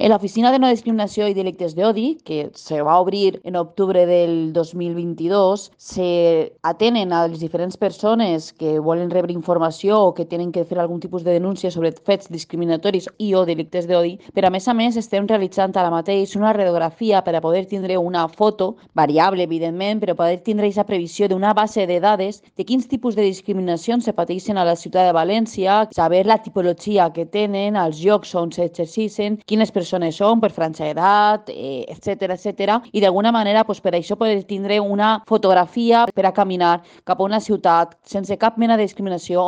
En l'Oficina de No Discriminació i Delictes d'Odi, que se va obrir en octubre del 2022, se atenen a les diferents persones que volen rebre informació o que tenen que fer algun tipus de denúncia sobre fets discriminatoris i o delictes d'odi, però a més estem realitzant ara mateix una radiografia per a poder tindre una foto, variable evidentment, però poder tindre aquesta previsió d'una base de dades de quins tipus de discriminacions se pateixen a la ciutat de València, saber la tipologia que tenen, els llocs on s'exercicen, quines persones són per franja d'edat, etcètera, i d'alguna manera per això poder tindre una fotografia per a caminar cap a una ciutat sense cap mena de discriminació